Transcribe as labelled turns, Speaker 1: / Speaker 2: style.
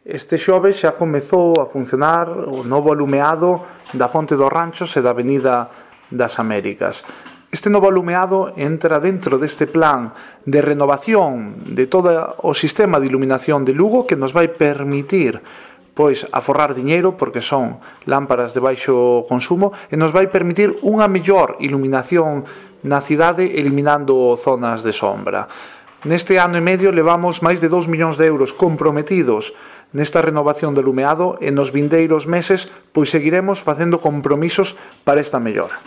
Speaker 1: Este xoves xa comezou a funcionar o novo alumeado da Fonte dos Ranchos e da Avenida das Américas. Este novo alumeado entra dentro deste plan de renovación de todo o sistema de iluminación de Lugo, que nos vai permitir aforrar diñeiro, porque son lámparas de baixo consumo, e nos vai permitir unha mellor iluminación na cidade, eliminando zonas de sombra. Neste ano e medio levamos máis de 2 millóns de euros comprometidos nesta renovación do alumeado, e nos vindeiros meses seguiremos facendo compromisos para esta mellora.